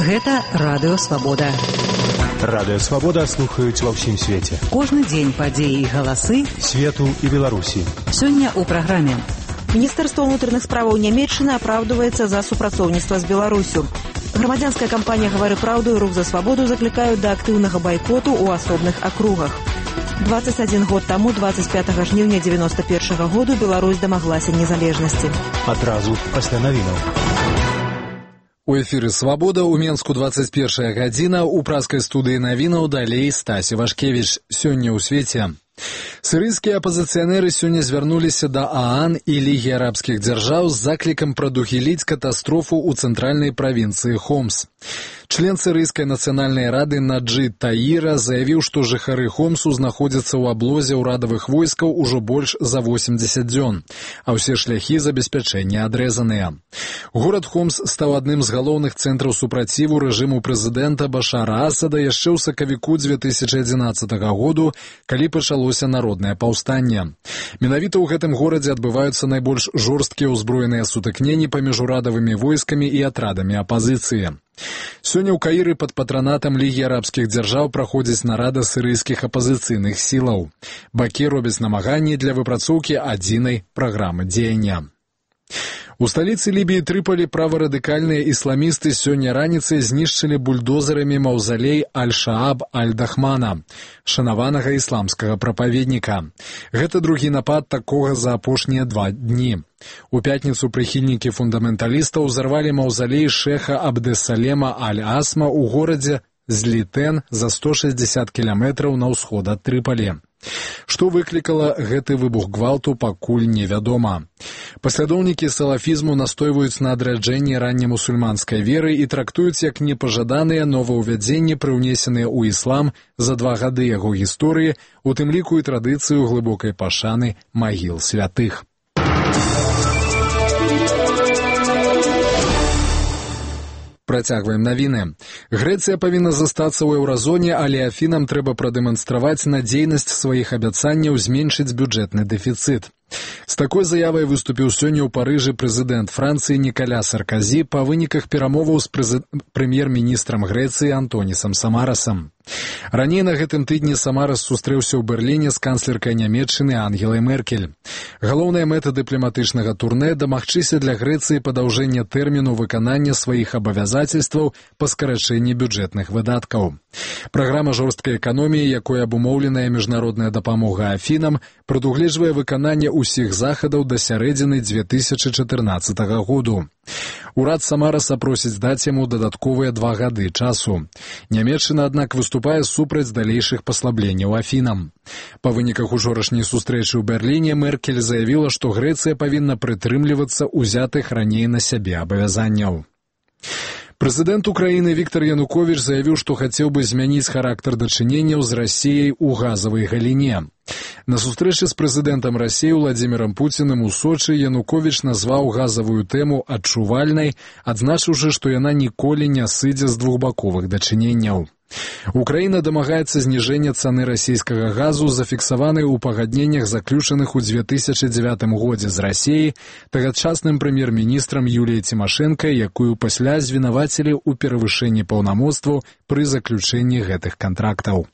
Гэта Радыё Свабода. Радыё Свабода слухаюць ва ўсім свеце. Кожны дзень падзеі і галасы свету і Беларусі. Сёння ў праграме. Міністэрства ўнутраных справаў Нямецчыны апраўдваецца за супрацоўніцтва з Беларусю. Грамадзянская кампанія «Гавары праўду» і «Рух за свабоду» заклікаюць да актыўнага байкоту ў асобных акругах. 21 год таму, 25 жніўня 91 году, Беларусь дамаглася незалежнасці. Адразу пасля навінаў. У эфіры «Свабода» у Менску 21 гадзіна, у праскай студыі навінаў далей Стасі Вашкевіч. Сёння ў свеце. Сірыйскія апазіцыянеры сёння звярнуліся да ААН і Лігі арабскіх дзяржаў з заклікам прадухіліць катастрофу ў цэнтральнай правінцыі Хомс. Член сірыйскай нацыянальнай рады Наджид Таіра заявіў, што жыхары Хомсу знаходзяцца ў аблозе ўрадавых войскаў ужо больш за 80 дзён, а ўсе шляхі забеспячэння адрэзаныя. Горад Хомс стаў адным з галоўных цэнтраў супраціву рэжыму прэзідэнта Башара Асада яшчэ ў сакавіку 2011 году, калі пачалося народнае паўстанне. Менавіта ў гэтым горадзе адбываюцца найбольш жорсткія ўзброеныя сутыкненні паміж урадавымі войскамі і атрадамі апазіцыі. Сёння ў Каіры пад патранатам Лігі арабскіх дзяржаў праходзіць нарада сірыйскіх апазіцыйных сілаў. Бакі робяць намаганні для выпрацоўкі адзінай праграмы дзеяння. У сталіцы Лібіі Трыполі праварадыкальныя ісламісты сёння раніцай знішчылі бульдозерамі маўзалей Аль-Шааб Аль-Дахмана, шанаванага ісламскага прапаведніка. Гэта другі напад такога за апошнія 2 дні. У пятніцу прыхільнікі фундаменталістаў ўзарвалі маўзалей шэха Абдэсалема Аль-Асма ў горадзе Злітэн за 160 кіламетраў на ўсход ад Трыполі. Што выклікала гэты выбух гвалту, пакуль невядома. Паслядоўнікі салафізму настойваюць на адраджэнні раннемусульманскай веры і трактуюць як непажаданыя новаўвядзенні, прыўнесеныя ў іслам за 2 гады яго гісторыі, у тым ліку і традыцыю глыбокай пашаны магіл святых. Працягваем навіны. Грэцыя павінна застацца ў еўразоне, але Афінам трэба прадэманстраваць надзейнасць сваіх абяцанняў зменшыць бюджэтны дэфіцыт. З такой заявай выступіў сёння ў Парыжы прэзідэнт Францыі Нікаля Сарказі па выніках перамоваў з прэм'ер-міністрам Грэцыі Антонісам Самарасам. Раней на гэтым тыдні Самарас сустрэўся ў Берліне з канцлеркай Нямецчыны Ангелай Меркель. Галоўная мэта дыпламатычнага турнэ – дамагчыся для Грэцыі падаўжэння тэрміну выканання сваіх абавязацельстваў па скарачэнні бюджэтных выдаткаў. Праграма жорсткай эканоміі, якой абумоўленая міжнародная дапамога Афінам, прадугледжвае выкананне ўсіх захадаў да сярэдзіны 2014 году. Урад Самараса просіць даць яму дадатковыя 2 гады часу. Нямецчына, аднак, выступае супраць далейшых паслабленняў Афінам. Па выніках учорашняй сустрэчы ў Берліне Меркель заявіла, што Грэцыя павінна прытрымлівацца ўзятых раней на сябе абавязанняў. Прэзідэнт Украіны Віктар Януковіч заявіў, што хацеў бы змяніць характар дачыненняў з Расіяй у газавай галіне. На сустрэчы з прэзідэнтам Расіі Владзімірам Пуціным у Сочы Януковіч назваў газавую тэму адчувальнай, адзначыўшы, што яна ніколі не сыдзе з двухбаковых дачыненняў. Украіна дамагаецца зніжэння цаны расійскага газу, зафіксаванай у пагадненнях, заключаных у 2009 годзе з Расіяй, тагачасным прэм'ер-міністрам Юліяй Цімашэнкай, якую пасля звінавацілі ў перавышэнні паўнамоцтваў пры заключэнні гэтых кантрактаў.